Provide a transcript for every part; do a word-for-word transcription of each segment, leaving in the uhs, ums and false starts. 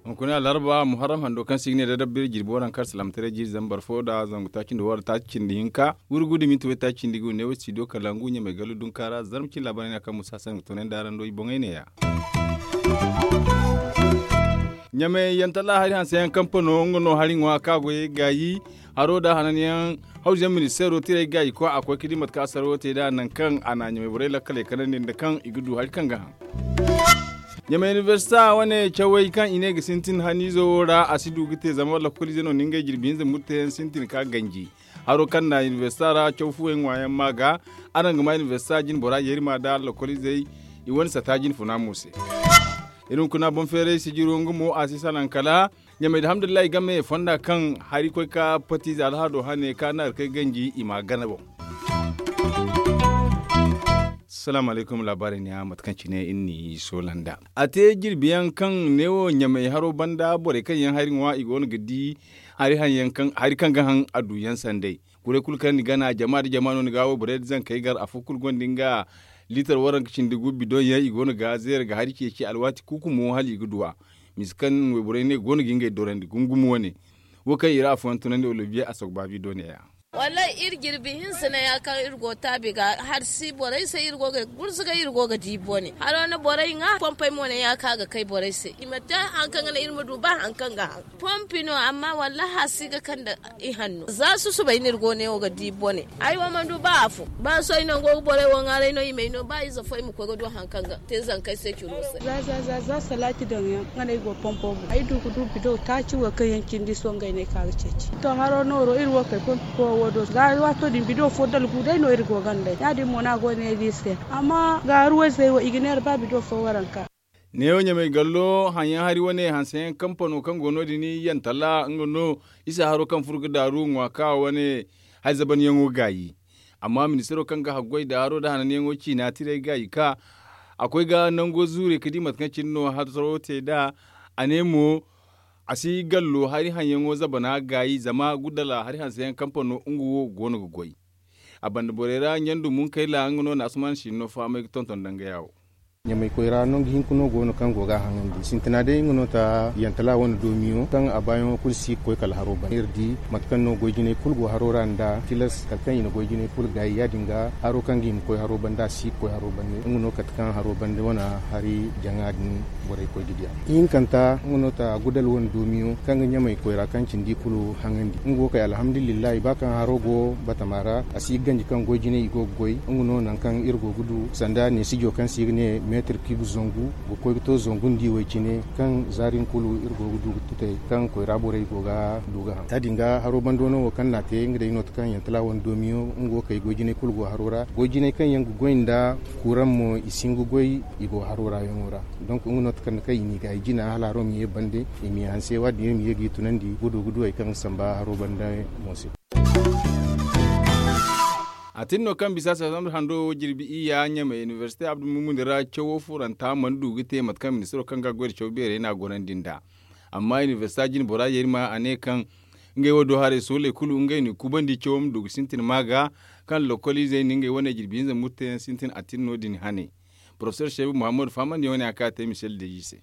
Hunkuna larba muharram hando kaŋ si ga ne da dabbiri jirbi waranka alsilaamataray jiiri zambar fo da zangu taaci nda waranka taaci cindi hinka, gurgu da minti way taaci cindi gu ne wo studio kalangu ɲamay gallu dunka ra zarma cin laabaarey no ya kaŋ musa hasan ga toonandi araŋ do i boŋey neeya. Ɲamay yantalla hari hanse yaŋ kampano nga no hari ŋwa ka goyey gaayi. Haro da hananyaŋ hawzu yaŋ ministeero tirey gaayi koy a koy ka di mate kaŋ a sarwo te nd'a nangu kaŋ a na ɲamay borey lakkaley kanandi nda kaŋ i ga du hari kaŋ ga haŋ. Ɲamay inibersita wane cawey kaŋ i ne ga sintin haniizo wo ra a si du ga te zama lakkoliize no na ngey jirbi hinza murteyaŋ sintin ka ganji. Haro kaŋ na inibersita ra caw fuwey ŋwaayaŋ ma ga araŋ ga ma inibersita jine bora yeeri ma da lakkoliizey i wane sata jine funa mo se. Iri hunkuna boŋ feeray sijiro nga mo a si salaŋ kala ɲamay da alhamdulillahi game fonda kaŋ hari koy ka patiize alhaado hane ka naari kay ganji i ma gana boŋ. Salaamu alaykum laabaarey neeya mate kaŋ cine iri n'i soola nd'a a te jirbi yaŋ kaŋ neewo ɲamay haro banda borey kaŋ yaŋ hari ŋwa i go no ga di hari kaŋ ga haŋ a du yaŋ sanday. Kuray kulu kaŋ ni gana jama nda jama no ni ga wayborey nda zankey gar afo kulu gonda nga liitar waranka cindi gu bidoŋ yaŋ i go no ga zeera ga hari ceeci alwaati kuuku mo hala i ga du a. Misa kaŋ wayborey ne go no ga ngey dorandi gumo gumo wane wo kaŋ i ra afooyaŋ tunandi oliviye a sogba bidoŋ neeya. Wallaahi iri jirbi hinsa ne ya kaŋ iri go taabi ga hari si borey se iri go ga gurzuga iri go ga di bone haro na borey ŋwa pompey mo ne ya kaŋ a ga kay borey se i ma te hari kaŋ ga naŋ iri ma du ba hari kaŋ ga haŋ. Pompi no amma wallaahi a si ga kande i hanno za susubay no iri go ne wo ga di bone. Ay wo mana du ba afo ba sohõ ay no go ga borey wo ŋwaaray no i m'ay no ba ize fo ay ma koy ga du hari kaŋ ga te zankey se curo se. Za za za za salaati daŋ yaŋ nga no ay go pompo boŋ ay du ga du bido taaci wo kaŋ yaŋ cindi sohõ ngey no ay ka ga ceeci to haro nooro iri wo kay pompi koyo wo do za waato din bido fo dalgu day no iri go ganda ya- din mo no a go ne iri se. Amma gaaru wayzey wo i ga neera ba bido fo waranka. Neewo ɲamay gallo haŋyaŋ hari wane hanseyaŋ kampano kaŋ go no- din yantalla nga no isa haro kaŋ furo ga daaru ŋwa ka wane hari zabanyaŋo gaayi. Amma ministiro kaŋ ga haggoy da haro da hananyaŋo ciina tirey gaayi ka a koy ga nango zuure ga di mate kaŋ cine no hasaro te nd'a. A ne mo a si gallo hari haŋyaŋo zabana gaayi zama gudala hari hanseyaŋ kampano nga wo go no ga goy. A banda borey ra ɲandu munkayla nga no na asuman siino fahamay ga tonton dangaya wo. Ɲamay koyra nangu hinka no go no kaŋ go ga a haŋandi sintina day nga no ta yantala wane doomiyo kaŋ a baayaŋo kulu si ga koy kala haro banda iri di mate kaŋ no goy jinay kulu go haro ra nda tilas kala kaŋ i na goy jinay kulu gaayi ya- din ga haro kaŋ ga i ma koy haro banda a si ga koy haro banda nga no kate kaŋ haro banda wane hari jaŋa din borey koy ga di a. Ihinkanta nga no ta gudal wane doomiyo kaŋ ga ɲamay koyra kaŋ cindi kulu haŋandi nga wo kay alhamdulillahi ba kaŋ haro go batama ra a si ga ganji kaŋ goy jinay i go ga goy nga no nangu kaŋ iri go ga du sanda neesijo kaŋ se i ga ne meetir kiibu zangu ga koy ga to zangu nda i way cine kaŋ zaari nga kulu iri go ga du ga tutay kaŋ koyra borey go ga du ga haŋ ya- din ga haro bando no wo kaŋ na a te nga day no ta kaŋ yantala wane doomiyo nga wo kay goy jinay kulu go haro ra goy jinay kaŋ yaŋ ga goy nda kuuraŋ mo i si hin ga goy i go haro ra yaŋo ra. Donk nga no ta kaŋ i n'i gaayi jina hala haro ma ye bande i ma ye hanse waadin iri ma ye ga i tunandi gudu gudu hari kaŋ ga samba haro banda mo se. A tin no kaŋ bisa sasamda hando wo jirbi iyya ɲamay inibersite abdu mumuni ra cawo furanta mana du ga te mate kaŋ ministiro kaŋ ga goy da caw beerey no a gorandi nd'a. Amma inibersite jine bora yeeri ma a ne kaŋ ngey wo do haray sooley kulu ngey n'i kubandi cawo ma du ga sintin ma ga kaŋ lokoliizey na ngey wane jirbi hinza murteyaŋ sintin a tin no- din hane. Porofesor seebu muhammadu fahamandi wane a ka te misel deeji se.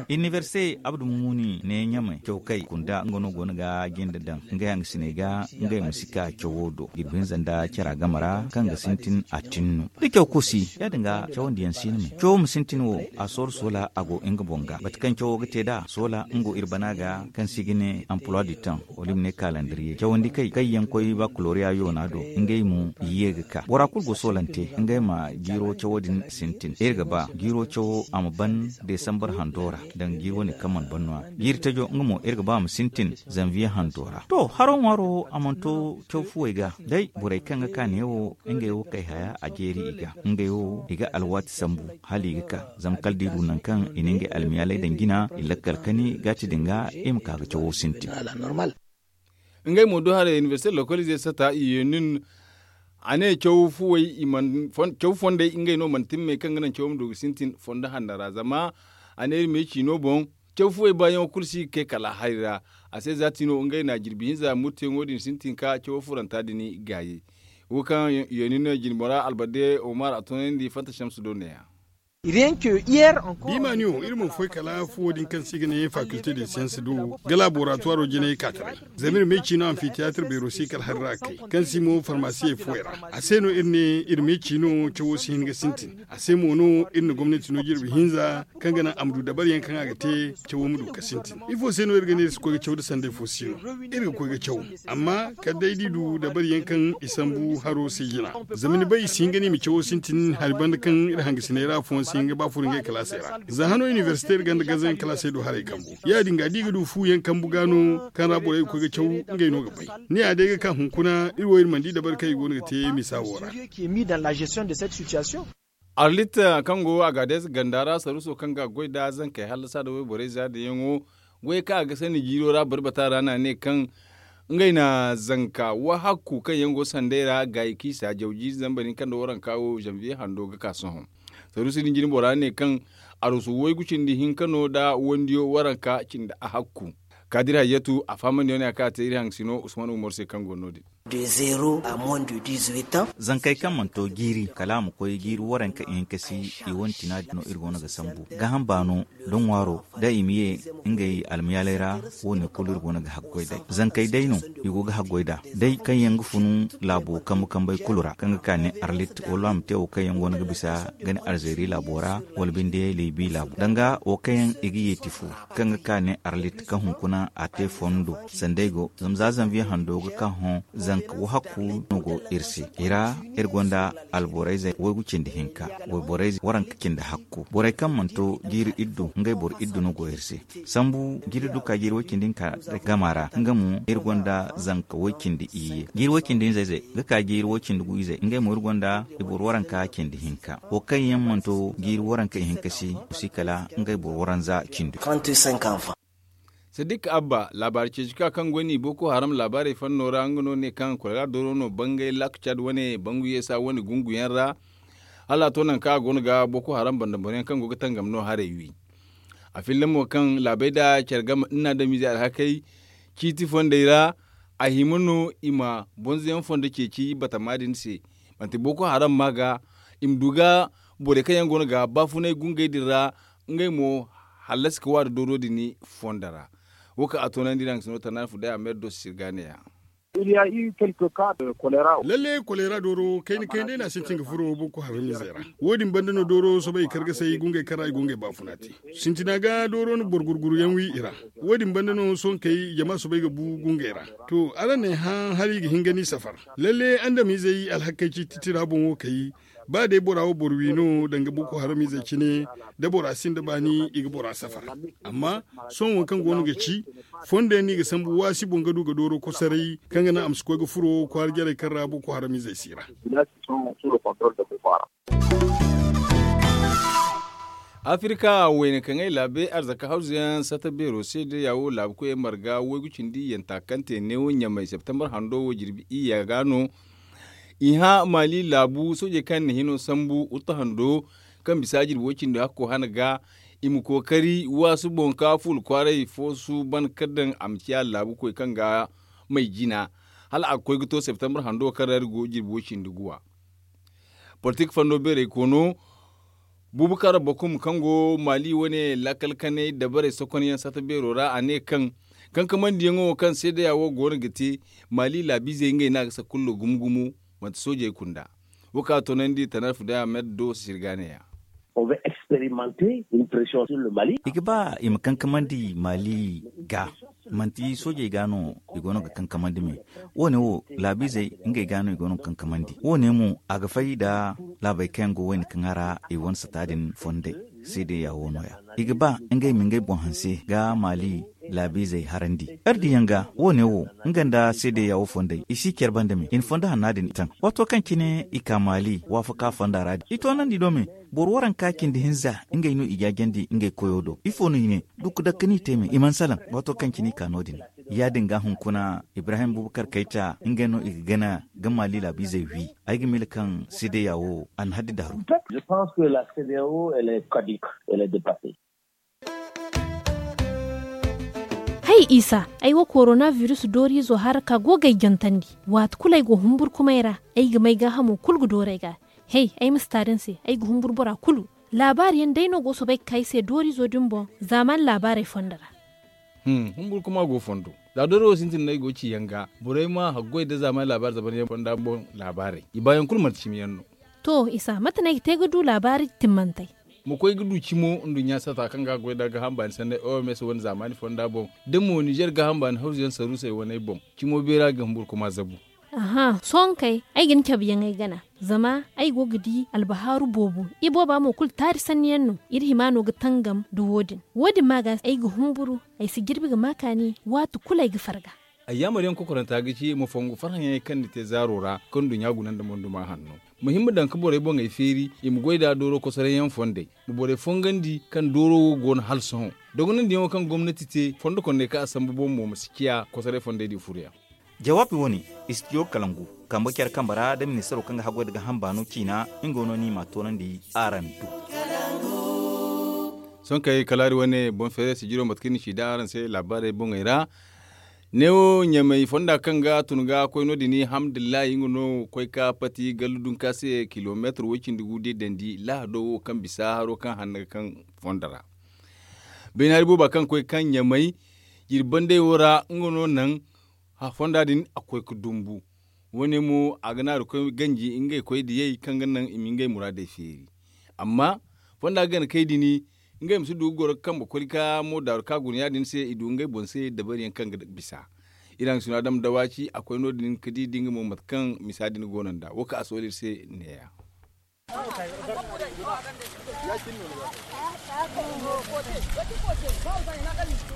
Inibersite abdu mumuni ne ɲamay caw kay kunda nga no go no ga jinde daŋ ngey hangasiney ga ngey ma si ka cawo do jirbi hinza nda cara game ra kaŋ ga sintin a tin no da caw kosi ya- din ga cawandiyaŋ si no me cawo ma sintin wo a sooro soola a go nga boŋ ga mate kaŋ cawo ga te nd'a soola nga go iri bana ga kaŋ se i ga ne amploi du temps wala i ma ne kalandiriye cawandi kay kaŋ yaŋ koy bakuloriya yoona do ngey mo i ye ga ka bora kulu go soolante ngey ma jiiro cawo din sintin iri ga ba jiiro cawo a ma ban desambar hando ra daŋ jiiri wane kaŋ mana ban no- ya jiiri tajo nga mo iri ga ba a ma sintin zanviye hando ra to haro ŋwaaro a mana to caw fuwey ga day borey kaŋ ga ka neewo ngey wo kay haya a jeeri i ga ngey wo i ga alwaati sambu hala i ga ka zama kala da i du nangu kaŋ i na ngey almiyaaley daŋ jina i lakkal kani gaati din ga i ma ka ga cawo sintin. Ngey mo do haray inibersite lokolize sata i ye nin a ne caw fondey ngey no mana timmey kaŋ ga naŋ cawo ma du ga sintin fondo hanno ra zama a ne iri me ciino boŋ Caw fuwey baayaŋo kulu si ga kay kala hari ra. A se za tiino ngey na jirbi hinza murteyaŋo din sintin ka cawo furanta din gaayi. Wo kaŋ yooni no jinbora albade omar a toonandi fanta shamsu do neeya. Bimaaniyo iri mana foy kala fuwo din kaŋ se i ga ne faculté de science do ga laboratuwaro jinay ka taray. Zama iri ma ay ciino amfiteyaatir beero se kala hari ra ga kay kaŋ se mo farmasiyey fuwey ra. A se no iri ne iri ma ay ciino cawo si hin ga sintin. A se mo no iri na gomnati no jirbi hinza kaŋ ga naŋ a ma du dabariyaŋ kaŋ a ga te cawo ma du ga sintin. Ifo se no iri ga ne iri si koy ga caw da sanday fo si no? Iri ga koy ga caw, amma kala day da i du dabariyaŋ kaŋ i sambu haro se jina. Zama ni bay i si hin ga ne i ma cawo sintin hari banda kaŋ iri hangasiney ra afooyaŋ si hin ga ba furo ngey kalaasey ra. Za hano inibersite iri ganda gazayaŋ kalaasey do haray kambu ya- din ga da i ga du fuyaŋ kambu ga no kaŋ ra borey ga koy ga caw. Ngey no ga bay. Ni ya day ga ka hunkuna iri wo iri mana di dabari kaŋ i go no ga te misa wo ra. Arlit kaŋ go a ga a day se ganda ra saruuso kaŋ ga a goy nd'a zankey hallasa nda wayborey za dayaŋo goyey kaŋ a ga sanni jiiro ra barbata ra no a ne kaŋ ngey na zanka wahakku kaŋ yaŋ go sanday ra gaayi kaŋ i si a jaw jiiri zambar hinka nda waranka wo zanbiye hando ga ka sohõ. Saruuso din jinbora ne kaŋ arusu waygu cindi hinka no nda wandiyo waranka cindi ahakku. Kaadir hayyatu a fahamandiyaŋ no ya kaŋ a te iri hangasino usman umar se kaŋ go no- din. Zankey kaŋ mana to jiiri kala a ma koy jiiri waranka ihinka si i wane tina din no iri go no ga sambu gaaham baano da ŋwaaro da i ma ye ngey almayaaley ra. Wo- ne kulu iri go no ga haggoy day zankey day no i go ga haggoy nd'a day kaŋ yaŋ ga funu laabo kambe kambey kulu ra kaŋ ga ka ne arlit wala a ma te wo kaŋ yaŋ go no ga bisa ga ne alzeeri laabo ra wala binde libi laabo danga wo kaŋ yaŋ i ga yeeti fu kaŋ ga ka ne arlit kaŋ hunkuna a te fondo sanda ay go zama za zanviye hando ga ka hõ zanka wahakku no go iri se i ra. Iri gonda alborayzey waygu cindi hinka wayborayzey waranka cindi hakku borey kaŋ mana to jiiri iddu ngey boro iddu no go iri se. Sambu jiiri iddu ka jiiri way cindi hinka gama ra nga mo iri gonda zanka way cindi iyye jiiri way cindi hinzayzey ga ka jiiri way cindi gu izey ngey mo iri gonda i boro waranka cindi hinka wo kaŋ yaŋ mana to jiiri waranka ihinka si si kala ngey boro waranza cindi. Sadik abba laabaari ceeci ka kaŋ goy no i boko haram laabaarey fanno ra nga no ne kaŋ kolera dooro no bangay lak cad wane bangu yeesa wane gunguyaŋ ra. Hala a to nangu kaŋ a go no ga boko haram banda boroyaŋ kaŋ go ga tangam no haray wi. A filla mo kaŋ laabey nda care game nda adamizey alhakey ciiti fondey ra a hima no i ma bonzoyaŋ fondo ceeci batama din se. Manti boko haram ma ga i ma du ga borey kaŋ yaŋ go no ga baafunay gungey din ra ngey mo hallasi ga waada dooro din fondo ra. Wo kaŋ a toonandi iri hangasino tanaana fuday a ma iri do sisiri ga neeya. Lalle kolera dooro kayna kayna day no a sintin ga furo boko haramizey ra. Wo- din banda no dooro soobay i kar ga say gungey kaŋ ra i go ngey baafuna te. Sintina ga dooro na boro gurguruyaŋ wi i ra. Wo- din banda no sohõ kay jama soobay ga bu gungey ra. To araŋ n'ay hã hala i ga hin ga ni safar. Lalle andamizey alhakey ciiti tira boŋo kay. Ba day bora wo boro wi no danga boko haramizey cine da bora sinda baani i ga bora safar. Amma sohõ wo kaŋ go no ga ci fondo yaŋ no i ga sambu waasi boŋ ga du ga dooro kosoray kaŋ ga naŋ a ma si koy ga furo kwaara jarey kaŋ ra boko haramizey si ra. Afirka wayna kaŋ ay laabe arzaka hawzuyaŋ sata beero se da yaawo laabu koyey marga waygu cindi yanta kaŋ te neewo ɲamay septembar hando wo jirbi iyya ga no. I hã maali laabu soojey kaŋ yaŋ na hino sambu wuttu hando kaŋ bisa jirbi way cindi hakko hana ga i ma kookari waasu boŋ ka fuula kwaaray foosu ban ka daŋ a ma ciya laabu koy kaŋ ga may jina. Hala a ga koy ga to septembar hando kaŋ ra iri go jirbi way cindi guwa. Politik fando beeray koono bubakar bakum kaŋ go maali wane laakal kanay dabarey sokonyaŋ sata beero ra a ne kaŋ kankamaandiyaŋo kaŋ seedeya wo go no ga te maali laabiizey ngey no a ga sakullo gumo gumo. Manti soojey kunda wo kaŋ a toonandi tanar fudaya med do sisiri ga neeya. I ga ba i ma kankamandi maali ga. Manti soojey ga no i go no ga kankamandi me. Wo- ne wo laabiizey ngey ga no i go no ga kankamandi wo- ne mo a ga fay nda laabey kaŋ yaŋ go wayne kaŋ a ra i wane sata din fondey. Seedeya wo no- ya i ga ba ngey ma ngey boŋ hanse ga maali laabiizey harandi. Iri diyaŋ ga wo- ne wo nga nda seedeya wo fondey i si care banda me i na fondo hanna din taŋ. Waato kaŋ cine i ka maali waafaka fonda ra din i toonandi do me. Boro waranka cindi hinza ngey no i jaajandi ngey koyo do ifo no i ne? Dukku dakka no i te me i mana salaŋ. Waato kaŋ cine i ka no- din ya- din ga hunkuna ibrahim bubakar kayta ngey no i ga gana ga maali laabiizey wi. Ay ga miila kaŋ seedeya wo a na haddi daaru. Je pense que la cdao elle est caduque. Elle est dépassée. Ay isa, ay wo korona biris dooriizo haraka go ga ay jantandi. Waati kulu ay go humburkumay ra, ay ga may gaahamo kulu ga dooru ay ga. Hey, ay ma si taari ni se, ay ga humburu bora kulu. Laabaari yaŋ day no go ga soobay ga ka ay se dooriizo din boŋ. Zaamaani laabaarey fondo ra. Humburkuma go fondo. Za dooro wo sintin no ay go ga ci yaŋ ga, borey ma haggoy nda zaamaani laabaari zaban yaŋ fonda boŋ laabaarey i baayaŋ kulu manti cimi yaŋ no. To isa mate no ay ga te ga du laabaari timmantey? Ma koy ga du cimo nduɲɲa satta kaŋ ga a goy nda gaaham baani sanney oms wane zaamaani fonda boŋ, da mo nizer gaaham baani hawzu yaŋ saruusey waney boŋ, cimo beera ga humburkuma zabu. Aha sohõ kay, ay ga ni cabe yaŋ ay gana. Zama ay go ga di albahaaru boobo. Ibooba mo kulu taari sanni yaŋ no. Iri hima no ga tangam nda wo- din. Wo- din ma ga ay ga humburu. Ay si jirbi ga ma kaani. Waati kulu ay ga farga. Ayyaamar yaŋ kokoranta ga ci ma fongu farhã yaŋey kaŋ ni te zaaro ra kaŋ nduɲɲa guna nda monduma hanno. Ma hin ma daŋ ga borey boŋey feeri i ma goy nd'a dooro kosoray yaŋ fondey. Ma borey fongandi kaŋ dooro wo go no hala sohõ. Dogonandiyaŋo kaŋ gomnati te fondo kondey kaŋ a sambu boŋ mo ma si ciya kosoray fondey din furo yaŋ. Jawaabi wo- ne, istidiyo kalangu, kambe care kambe ra nda ministaro kaŋ ga haggoy nda gaaham baano ciina. Nga no no i m'a toonandi araŋ do. Sohõ kay kala hari wane boŋ feeray sijiro mate kaŋ iri na ci daŋ araŋ se laabaarey boŋey ra. Neewo ɲamay fonda kaŋ ga tun ga koy no- din hamdullahi nga no koy ka pati gallu dunka se kilomeetar way- cindi gu day dandi lahado wo kaŋ bisa haro kaŋ hanna ga kaŋ fondo ra. Baynaari booba kaŋ koy kaŋ ɲamay jirbandey wo ra nga no naŋ fonda din a koy ga dumbu. Wo- ne mo a ga naaru koy ganji ngey koy diyey kaŋ ga naŋ i ma ngey muraadey feeri. Amma fonda gana kay din ngey ma si du ga goro ga kambe koli ka mo daaru ka guna ya- din se i du ngey boŋ se dabari yaŋ kaŋ ga bisa. Iri haŋ sino adama dawaci a koy no- din ga di da nga mo mate kaŋ misa din go no nd'a wo kaŋ a sohõ iri se neeya.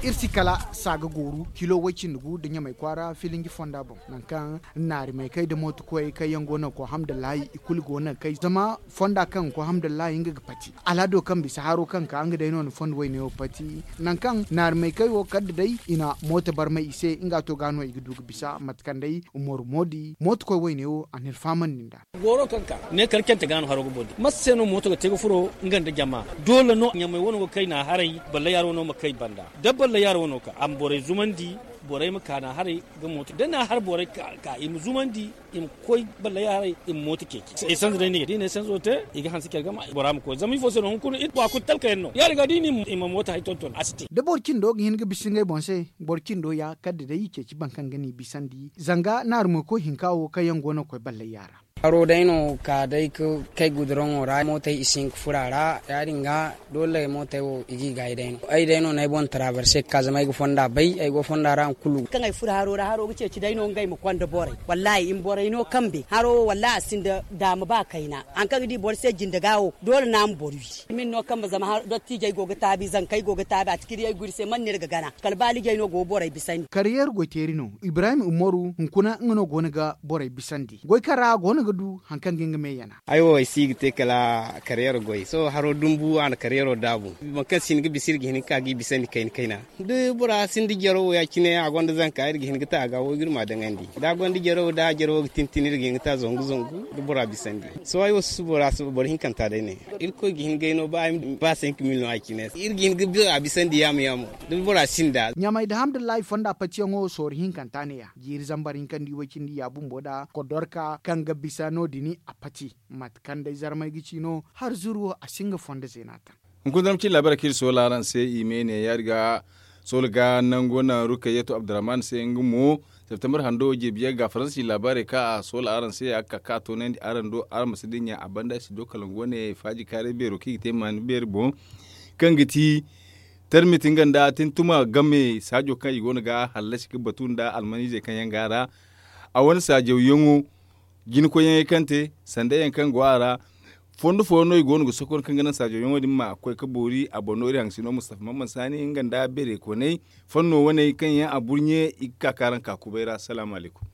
Iri si kala saaga gooru kilo way- cindi gu nda ɲamay kwaara filinji fonda boŋ nangu kaŋ naari maykey nda mootokoyey kaŋ yaŋ go no ga koy hamdallaahi i kulu go no ga kay zama fonda kaŋ ga koy hamdallaahi nga ga pati. Alhado kaŋ bisa haro kaŋ ga ka nga day no na fondo wayne wo pati. Nangu kaŋ naari maykey wo kala da day i na mooto barmay i se nga to ga no i ga du ga bisa mate kaŋ day umaru moodi mootokoy wayne wo a na iri fahamandi nd'a. Gooro kaŋ ka ne kala cante ga no haro ga boori mate se no mooto ga te ga furo nga nda jama? Doole no ɲamay wano ga kay na haray balla yaaro wano ma kay banda da balla yaaro wano ka a ma borey zumandi. Borey ma ka na haray ga mooto da na har borey ka i ma zumandi i ma koy balla yaaro haray i ma mooto ceeci. Esanze day ni ga di ne esanzo te i ga hanse care gama bora ma koy zama ifo se no hunkuna iri wa kulu talka yaŋ no ya- din ga da i ma mooto hari tonton a si te. Da boro cindo ga hin ga bisa ngey boŋ se boro cindo ya kala da day i ceeci boro kaŋ ga ni bisandi zanga naari moyko hinka wo kaŋ yaŋ go no ga koy ballay yaara. Haro day no ka day ga kay guduraŋo ra mootey i si hin ga furo a ra ya- din ga doole mootey wo i g'i gaayi day no ay day no no ay boŋ tarabarse ga ka zama ay ga fonda bay ay go fonda ra hari kulu. Kaŋ ay furo haro ra haro ga ceeci day no ngey ma konda borey wallaahi i ma borey no kambe haro wo wallaahi a sinda daama ba kayna. Hari kaŋ ga di boro se jinde ga wo doole no a ma boro wi. Min no kambe zama dottiijey go ga taabi zankey go ga taabi a tikiriyey go iri se man no iri ga gana kala baalijey no go ga borey bisandi. Kariyeer goyteeri no ibrahim umaru hunkuna nga no go no ga borey bisandi goy kaŋ ra a go no ga du hari kaŋ ga nga me yana. Ay wo ay si ga te kala kariyeero goy sohõ haro dumbu a na kariyeero daabu. Boro kaŋ si hin ga bisa iri ga hin ga ka g'i bisandi kayna kayna da bora sinda jaro wo ya- cine a gonda zanka iri ga hin ga ta a ga wo ga iri m'a daŋandi da a gonda jaro wo da a jaro wo ga tintin iri ga hin ga ta zangu zangu da bora bisandi. Sohõ ay wo si bora si boro hinkanta day ne. Irkoy ga hin ga ay no ba ay ma ba cinq mille no a cine iri ga hin ga bora bisandi yaamo yaamo da bora sinda. Ɲamay da hamdullahi fonda patiyaŋo sorro hinkanta ne ya jiiri zambar hinka nda i way cindi ya bumbo da kodorka kaŋ ga bisa no- din a pati. Mate kaŋ day zarmay ga ci no har zuru wo a si nga fondo zeena taŋ. Hunkuna zama cin laabaarey kaŋ iri soola araŋ se i me ne ya- din ga soola ga nango naŋ rukayatu abdurrahman se nga mo septembar hando jirbi yaŋ ga faransi laabaarey kaŋ a soola araŋ se ya ga ka ka a toonandi araŋ do araŋ ma si dinya a banda si do kala nga wane faaji kaaray beero kaŋ i ga te maani beeri boŋ kaŋ ga ti tarmit nga nda tintuma game saajo kaŋ i go no ga hallasi ga batu nda almanizey kaŋ yaŋ go a ra. A wane saajawyaŋo jinkoyyaŋey kaŋ te sanday yaŋ kaŋ go a ra. Fondo fooyaŋ no i go no ga sokon kaŋ ga naŋ saajawyaŋo din ma koy ga boori a boŋ no iri haŋ sino mustafa mamman saani nga nda beeray koney fanno waney kaŋ yaŋ a burɲe i ga ka ka araŋ ka kubay ra salaamu alaykum.